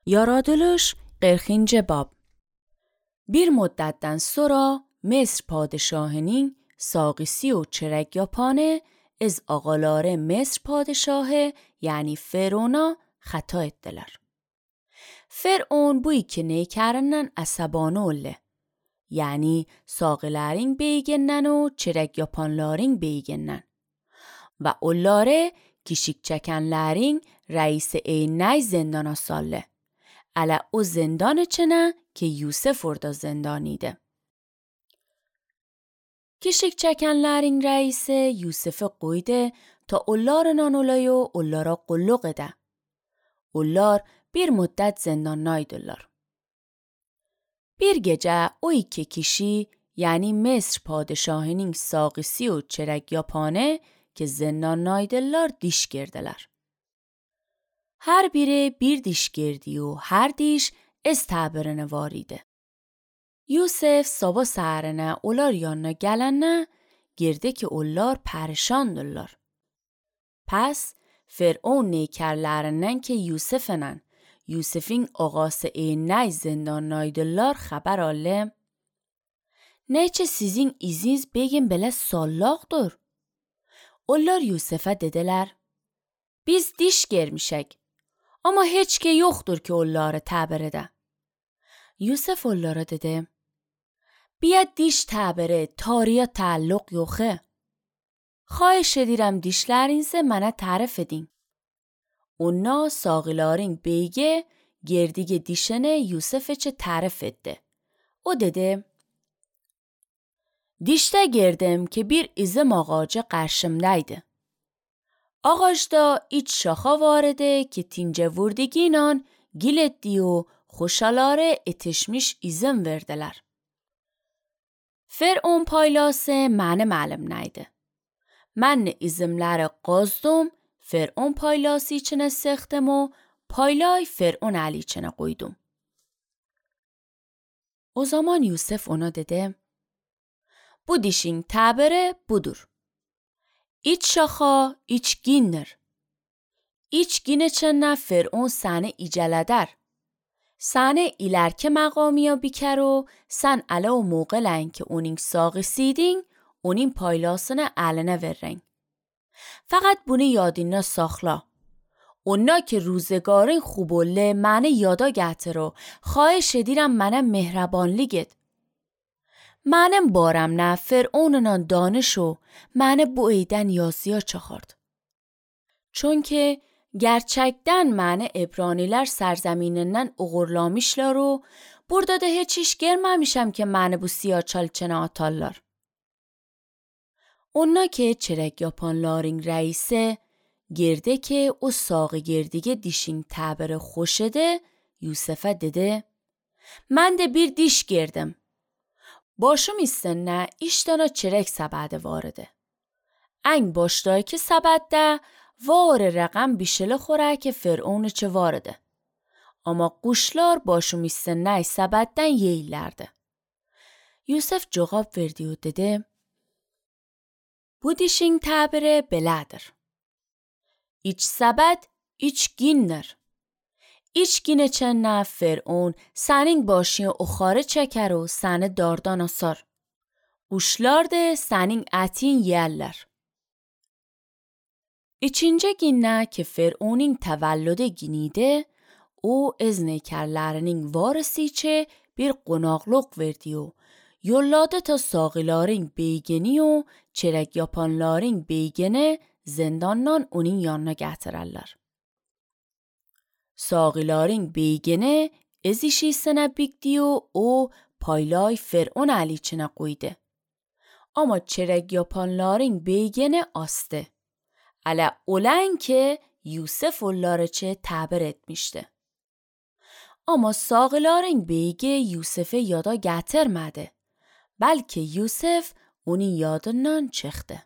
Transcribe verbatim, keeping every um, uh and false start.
Yaradılış qirxinci bab. Bir müddətdən sonra Mesr padişahının sağisi و çörək yapanı از ağaları Mesr padişahı yani Firavuna xəta etdilər. Firavun bu iki neykərindən əsəbanı oldu. Yani sağilərin beyigindən و çörək yapanların beyigindən. Və onları kişik çəkənlərin rəisi eynəy zindana saldı. Ələ o zindan içinə ki Yusuf orada zindanıydı. Kişik çəkənlərin rəisi Yusuf'u qoydu ta onlarla olayı و onlara qulluq edə. Onlar bir müddət zindandaydılar. Bir gecə o iki kişi yani Mesr padişahının sağisi و çörək yapanı ki zindandaydılar diş girdilər. Her biri bir diş girdi و her diş از təbirini var idi. Yusuf sabah səhərinə onlar yanına gələndə girdi ki onlar pərişandırlar. Pəs Firavun neykərlərindən ki Yusuf'la Yusuf'in ağası eynəy zindandaydılar xəbər aldı. Neçə sizin iziniz begin belə sallaqdır? Onlar Yusuf'a dedilər, biz diş girmişək. Ama heç ki yoxdur ki onları təbir edə. Yusuf onlara dedi, bia diş təbiri tariyə təalluq yoxu. Xahiş edirəm dişlərinizi mənə tərif edin. Onlar sağilərin beygi girdiği dişini Yusuf üçün tərif etdi. O dedi, dişdə girdim ki bir izim ağacı qarşımdaydı. Ağacda iç şaxa var idi ki tince vurdiginan gil etdi و xoşaları etişmiş izin verdilər. Firavun paylası mənim əlimdəydi. Mən izimləri qazdım, Firavun paylası içinə sıxdım و paylay Firavun əli içinə qoydum. O zaman Yusuf ona dedi, bu dişin təbiri budur. İç şaxa, iç gindir. İç gin içində Firavun səni icələdər. Səni ilərki məqamiya bikər و sən ələ o موقعلən ki onun sağisiydin, onun paylasını əlinə verrən. Faqat bunu yadına saxla. Onlar ki روزگارın خوب oldu, məni yada gətir و xahiş edirəm mənə mehrabanlik et. Mənim barəmlə Firavunla danış و məni bu eydən yazıya çıxart. Çünki gerçəkdən məni İbranilər sərzəminindən uğurlamışlar و burada da heç iş görməmişəm ki məni bu siyaçal içinə atarlar. Onlar ki çörək yapanların rəisi girdi ki o sağı girdiği dişin təbiri xoş idi, Yusuf'a dedi, mən də bir diş girdim. Başım üstünə iş dana çörək səbədi var idi. Ən başdakı səbəddə var rəqəm bişəli xorək Firavun içi var idi. Amma quşlar başım üstünə səbəddən yeyirlərdi. Yusuf cavab verdi و dedi, bu dişin təbiri belədir. İç səbəd, iç gindir. İç gin içində Firavun sənin başını oxarı çəkər و səni dardan asar. Quşlar da sənin ətin yerlər. İkinci gündə ki Firavunun təvəllüdü günüydü, o az neykərlərinin varisi içi bir qonaqlıq verdi و yolladı ta sağilərin beygini و çörək yapanların beygini zindandan onun yanına gətirərlər. Sağilərin beygini az işisinə bikdi و o paylay Firavun əli içinə qoydu. Amma çörək yapanların beygini astı. Ələ olan ki Yusuf onları çə təbir etmişdi. Amma sağilərin beygi Yusuf'u yada gətirmədi. Bəlkə Yusuf onun yadından çıxdı.